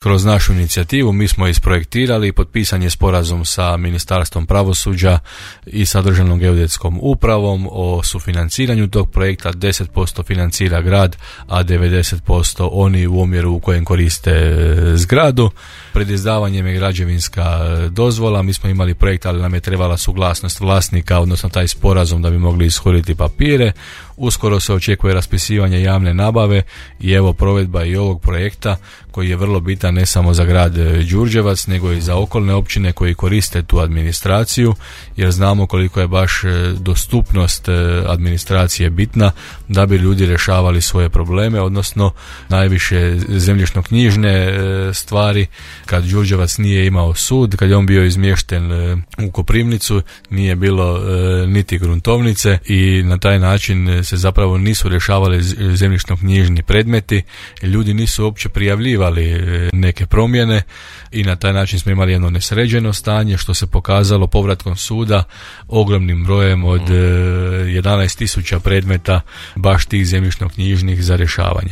Kroz našu inicijativu mi smo isprojektirali i potpisan je sporazum sa Ministarstvom pravosuđa i sa Državnom geodetskom upravom o sufinanciranju tog projekta. 10% financira grad, a 90% oni u omjeru u kojem koriste zgradu. Pred izdavanjem je građevinska dozvola, mi smo imali projekt, ali nam je trebala suglasnost vlasnika, odnosno taj sporazum da bi mogli ishoditi papire. Uskoro se očekuje raspisivanje javne nabave i evo provedba i ovog projekta koji je vrlo bitan ne samo za grad Đurđevac nego i za okolne općine koji koriste tu administraciju, jer znamo koliko je baš dostupnost administracije bitna da bi ljudi rješavali svoje probleme, odnosno najviše zemljišno-knjižne stvari. Kad Đurđevac nije imao sud, kad je on bio izmješten u Koprivnicu, nije bilo niti gruntovnice i na taj način se zapravo nisu rješavali zemljišno-knjižni predmeti, ljudi nisu uopće prijavljivali neke promjene i na taj način smo imali jedno nesređeno stanje što se pokazalo povratkom suda ogromnim brojem od 11.000 predmeta baš tih zemljišno-knjižnih za rješavanje.